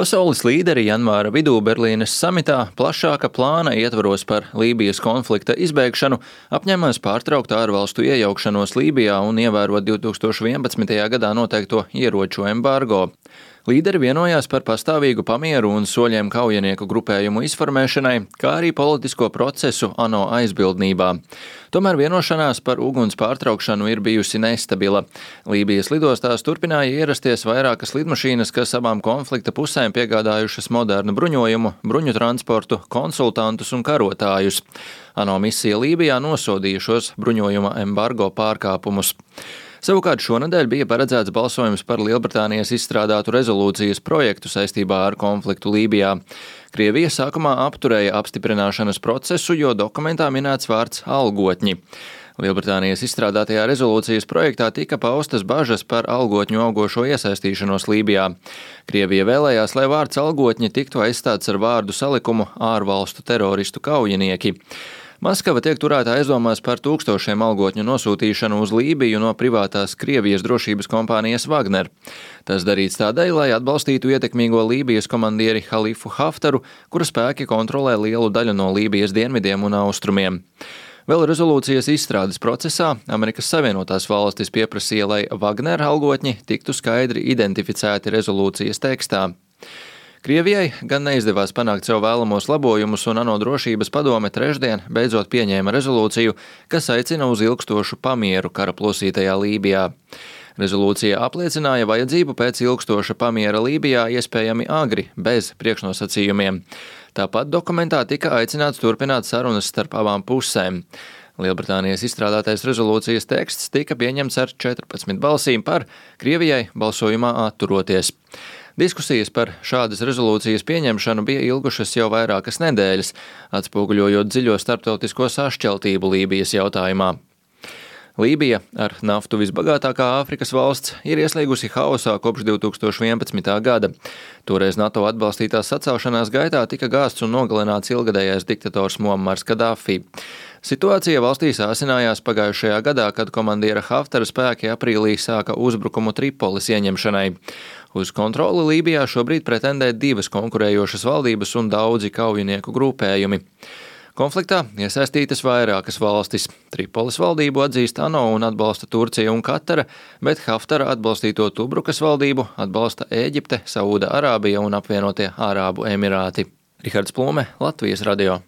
Pasaules līderi janvāra vidū Berlīnes samitā plašāka plāna ietvaros par Lībijas konflikta izbeigšanu apņēmās pārtraukt ārvalstu iejaukšanos Lībijā un ievērot 2011. gadā noteikto ieroču embargo. Līderi vienojās par pastāvīgu pamieru un soļiem kaujinieku grupējumu izformēšanai, kā arī politisko procesu ANO aizbildnībā. Tomēr vienošanās par uguns pārtraukšanu ir bijusi nestabila. Lībijas lidostās turpināja ierasties vairākas lidmašīnas, kas abām konflikta pusēm piegādājušas modernu bruņojumu, bruņu transportu, konsultantus un karotājus. ANO misija Lībijā nosodīja šos bruņojuma embargo pārkāpumus. Savukārt šonedēļ bija paredzēts balsojums par Lielbritānijas izstrādātu rezolūcijas projektu saistībā ar konfliktu Lībijā. Krievija sākumā apturēja apstiprināšanas procesu, jo dokumentā minēts vārds algotņi. Lielbritānijas izstrādātajā rezolūcijas projektā tika paustas bažas par algotņu augošo iesaistīšanos Lībijā. Krievija vēlējās, lai vārds algotņi tiktu aizstāts ar vārdu salikumu ārvalstu teroristu kaujinieki. Maskava tiek turēta aizdomās par tūkstošiem algotņu nosūtīšanu uz Lībiju no privātās Krievijas drošības kompānijas Wagner. Tas darīts tādēļ, lai atbalstītu ietekmīgo Lībijas komandieri Halifu Haftaru, kura spēki kontrolē lielu daļu no Lībijas dienvidiem un austrumiem. Vēl rezolūcijas izstrādes procesā Amerikas Savienotās valstis pieprasīja, lai Wagner algotņi tiktu skaidri identificēti rezolūcijas tekstā. Krievijai gan neizdevās panākt sev vēlamos labojumus, un ANO drošības padome trešdien beidzot pieņēma rezolūciju, kas aicina uz ilgstošu pamieru kara plosītajā Lībijā. Rezolūcija apliecināja vajadzību pēc ilgstoša pamiera Lībijā iespējami agri, bez priekšnosacījumiem. Tāpat dokumentā tika aicināts turpināt sarunas starp abām pusēm. Lielbritānijas izstrādātais rezolūcijas teksts tika pieņemts ar 14 balsīm par, Krievijai balsojumā atturoties. Diskusijas par šādas rezolūcijas pieņemšanu bija ilgušas jau vairākas nedēļas, atspoguļojot dziļo starptautisko sašķeltību Lībijas jautājumā. Lībija, ar naftu visbagātākā Āfrikas valsts, ir ieslīgusi haosā kopš 2011. gada. Toreiz NATO atbalstītās sacelšanās gaitā tika gāsts un nogalināts ilgadējais diktators Muammars Kaddafi. Situācija valstī sāsinājās pagājušajā gadā, kad komandiera Haftara spēki aprīlī sāka uzbrukumu Tripolis ieņemšanai. Uz kontroli Lībijā šobrīd pretendē divas konkurējošas valdības un daudzi kaujinieku grupējumi. Konfliktā iesaistītas vairākas valstis. Tripolis valdību atzīst ANO un atbalsta Turcija un Katara, bet Haftara atbalstīto Tubrukas valdību atbalsta Ēģipte, Saūda Arābija un apvienotie Arābu Emirāti. Rihards Plūme, Latvijas radio.